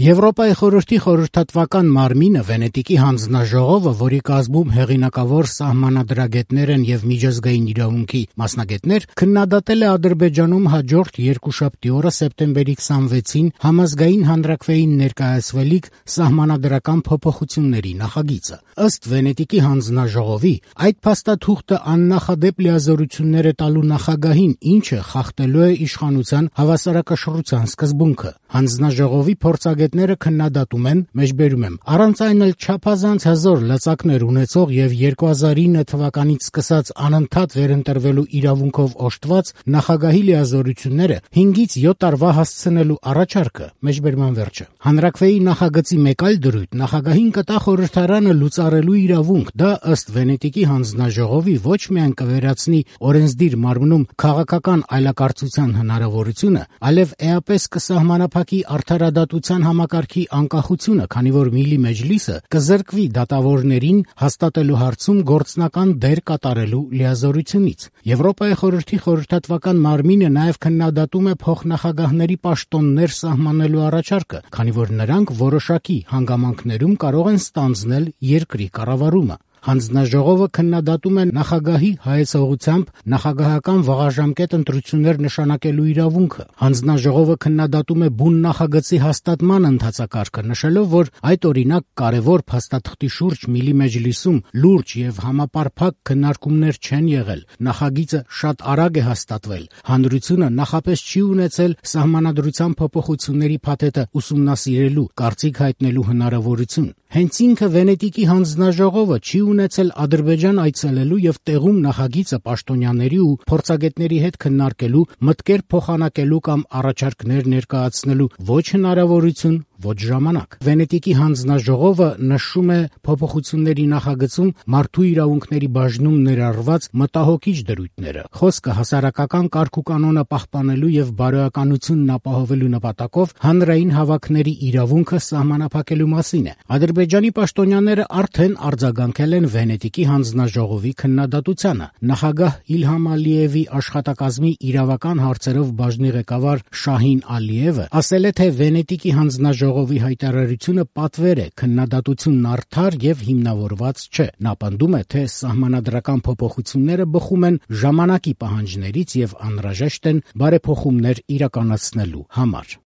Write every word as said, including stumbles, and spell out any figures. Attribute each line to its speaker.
Speaker 1: Եվրոպայի խորհրդի խորհրդատվական մարմինը Վենետիկի հանձնաժողովը, որի կազմում հեղինակավոր սահմանադրագետներ են եւ միջազգային իրավունքի մասնագետներ, քննադատել է Ադրբեջանում հաջորդ երկուշաբթի օրը սեպտեմբերի քսանվեցին համազգային հանրաքվեին ներկայացվելիք սահմանադրական փոփոխությունների նախագիծը։ Ըստ Վենետիկի հանձնաժողովի, այդ փաստաթուղթը աննախադեպ լիազորություններ է տալու նախագահին, ինչը խախտելու է իշխանության հավասարակշռության սկզբունքը։ Հանձնաժողովի փորձագետները քննադատում են, մեջբերում եմ, առանց այն էլ չափազանց հզոր լծակներ ունեցող եւ երկու հազար ինը թվականից սկսած անընդհատ վերընտրվելու իրավունքով օժտված նախագահի լիազորությունները հինգից յոթ տարվա հասցնելու առաջարկը, մեջբերման վերջը։ Հանրաքվեի նախագծի մեկ այլ դրույթ նախագահին կտա խորհրդարանը լուծարելու իրավունք, դա ըստ Վենետիկի հանձնաժողովի ոչ միայն կվերացնի օրենսդիր մարմնում քաղաքական այլակարծության հնարավորությունը, այլև էապես կսահմանափակի արդարադատության համակարգի անկախությունը, քանի որ Միլի Մեջլիսը կզրկվի դատավորներին հաստատելու հարցում գործնական դեր կատարելու լիազորությունից։ Եվրոպայի խորհրդի խորհրդատվական մարմինը նաև քննադատում է փոխնախագահների պաշտոններ սահմանելու առաջարկը, քանի որ նրանք որոշակի հանգամանքներում կարող են ստանձնել երկրի կառավարումը։ Հանձնաժողովը քննադատում է նախագահի հայեցողությամբ նախագահական վաղաժամկետ ընտրություններ նշանակելու իրավունքը։ Հանձնաժողովը քննադատում է բուն նախագծի հաստատման ընթացակարգը, նշելով, որ այդ օրինակ կարևոր փաստաթղթի շուրջ Միլի Մեջլիսում լուրջ եւ համապարփակ քննարկումներ չեն եղել։ Նախագիծը շատ արագ է հաստատվել։ Հանրությունը նախապես չի ունեցել սահմանադրության փոփոխությունների փաթեթը ուսումնասիրելու, կարծիք հայտնելու հնարավորություն։ Հենց ինքը Վենետիկի հանձնաժողովը չի ունեցել Ադրբեջան այցելելու եւ տեղում նախագիծը պաշտոնյաների ու փորձագետների հետ քննարկելու, մտքեր փոխանակելու կամ առաջարկներ ներկայացնելու ոչ հնարավորություն, ոչ ժամանակ։ Վենետիկի հանձնաժողովը նշում է փոփոխությունների նախագծում մարդու իրավունքների բաժնում ներառված մտահոգիչ դրույթները։ Խոսքը հասարակական կարգուկանոնը պահպանելու եւ բարոյականությունն ապահովելու նպատակով հանրային հավաքների իրավունքը սահմանափակելու մասին է։ Ադրբեջանի պաշտոնյաները արդեն արձագանքել են Վենետիկի հանձնաժողովի քննադատությանը։ Նախագահ Իլհամ Ալիևի աշխատակազմի իրավական հարցերով բաժնի ղեկավար Շահին Ալիևը ասել է, թե Վենետիկի հանձնաժողովի հայտարարությունը պատվեր է, քննադատությունն արդար եւ հիմնավորված չէ։ Նա պնդում է, թե սահմանադրական փոփոխությունները բխում են ժամանակի պահանջներից եւ անհրաժեշտ են բարեփոխումներ իրականացնելու համար։